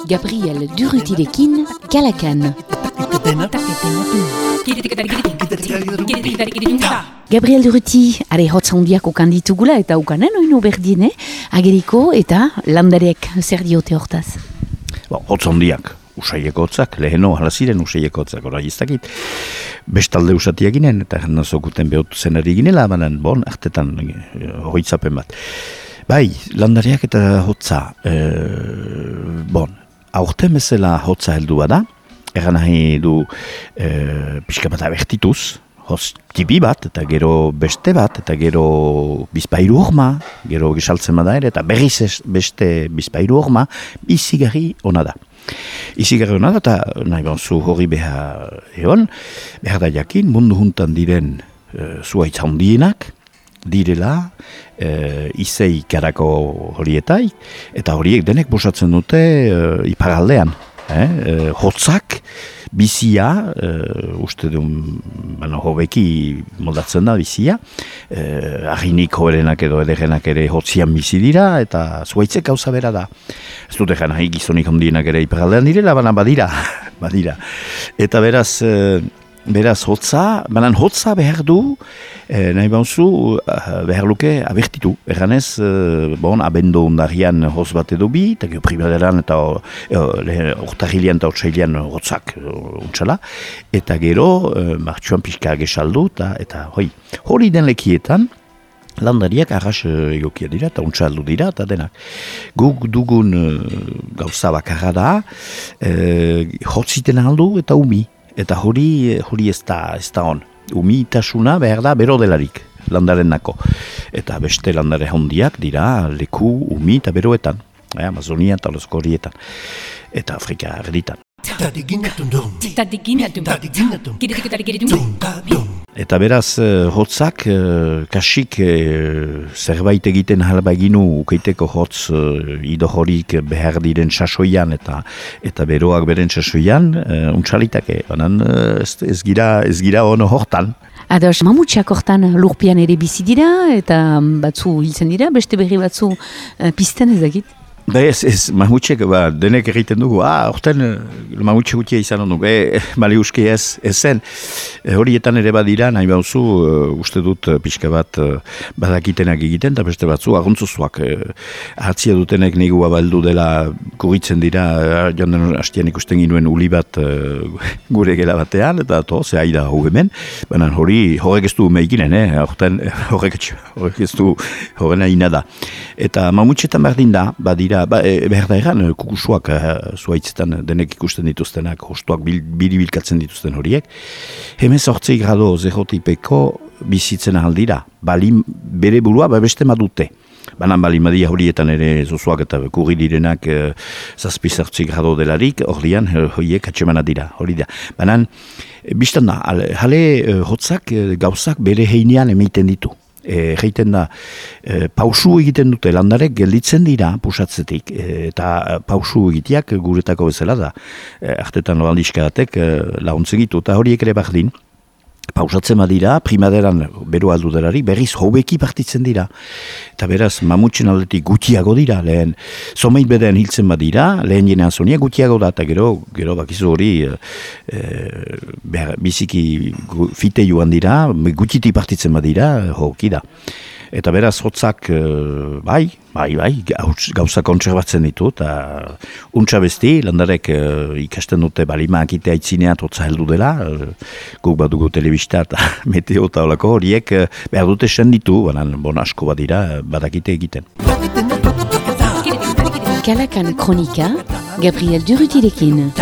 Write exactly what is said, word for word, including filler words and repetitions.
Gabriel Durrutirekin Kalakan. Gabriel Durruti, are hotz handiak okan ditugula eta ukanen oino berdine, ageriko eta landarek zer diote hortaz? Ba, hotz handiak, usaieko hotzak, leheno halaziren usaieko hotzak, ora iztakit. Bestalde usatiak ginen, eta nazokuten behotu zenari ginela, banan, bon, artetan hoitzapen bat. Bai, landariak eta hotza, e, bon, aurten bezala hotza heldu bada, egan nahi du e, pixka bat abertituz, hoz tipi bat, eta gero beste bat, eta gero bizpairu horma, gero gisaltzen bada ere, eta berriz beste bizpairu horma, izigarri ona da. Izigarri ona da, eta nahi banzu hori behar egon, behar da jakin, mundu juntan diren e, zuaitz handienak, direla, e, izei karako horietai, eta horiek denek bosatzen dute e, iparaldean. Eh? E, hotzak, bizia, e, uste duen, bueno, hobeki moldatzen da bizia, e, ahinik hoberenak edo ederenak ere hotzian bizi dira, eta zuaitzek gauza bera da. Ez dute gana, gizonik ondienak ere iparaldean direla, baina badira, badira. Eta beraz, e, Beraz, hotza, banan hotza behar du, eh, nahi bauzu, behar luke abertitu. Erganez, eh, bon, abendo ondarian hoz bat edo bi, eta gero primaderan eta ortahilian eta ortsailean hotzak untsala, eta gero, eh, martxuan pixka gesaldu, eta, eta hoi, hori den lekietan, landariak arras egokia dira, eta untsaldu dira, eta denak. Guk dugun gauza bakarra da, eh, hotziten aldu eta umi. Eta hori, hori ez da, ez da on. Umitasuna behar da bero delarik, landaren nako. Eta beste landare hondiak dira leku, umi eta beroetan. Eh, Amazonia eta Lozko horietan. Eta Afrika erditan. Eta beraz, hotzak, kasik zerbait egiten halba eginu ukeiteko hotz ido horik behar diren sasoian eta eta beroak beren sasoian, untsalitake, banan ez, ez gira, ez gira ono hortan. Ados, mamutxak hortan lurpian ere bizi dira eta batzu hiltzen dira, beste berri batzu pizten ez dakit? Ba ez, ez, mamutxek, ba, denek egiten dugu, ah, orten mamutxe gutia izan hondu, e, bali uski ez, ez zen, e, horietan ere badira, nahi bauzu, uh, uste dut uh, pixka bat uh, badakitenak egiten, eta beste batzu, aguntzuzuak, uh, hartzia dutenek nigu abaldu dela kugitzen dira, uh, jonden hastian ikusten ginuen uli bat uh, gure gela batean, eta to, ze aida hau hemen, baina hori, horrek ez du meikinen, eh, orten, horrek, horrek ez du horrena ina da. Eta mamutxetan berdin da, badira, Ba, e, behar da egan, kukusuak e, zuaitzetan denek ikusten dituztenak, hostuak bil, biribilkatzen dituzten horiek. Hemen zortzei grado zerotipeko bizitzen ahaldira. Bali bere burua beste madute. Banan bali madia horietan ere zozuak eta kurri direnak e, zazpi zortzei grado delarik, horian horiek atxemana dira, hori da. Banan, biztan da, jale e, hotzak e, gauzak bere heinean emeiten ditu. E, Geiten da, e, pausu egiten dute landarek gelditzen dira pusatzetik, e, eta pausu egiteak guretako bezala da. E, artetan loaldiskadatek e, laguntzegitu, eta horiek ere bardin, pausatzen badira, primaderan bero aldu delari, berriz hobeki partitzen dira. Eta beraz, mamutxen aldetik gutiago dira, lehen, zomeit beden hiltzen badira, lehen jenean zonia gutiago da, eta gero, gero bakizu hori, e, behar, biziki fite joan dira, gutiti partitzen badira, hoki da. Eta beraz, hotzak, bai, bai, bai, gauza kontserbatzen ditu, eta untsa besti, landarek ikasten dute balimak itea itzineat hotza heldu dela, guk badugu telebista eta meteo eta olako horiek behar dute senditu, banan bon asko badira, badakite egiten. Kalakan kronika, Gabriel Durrutirekin.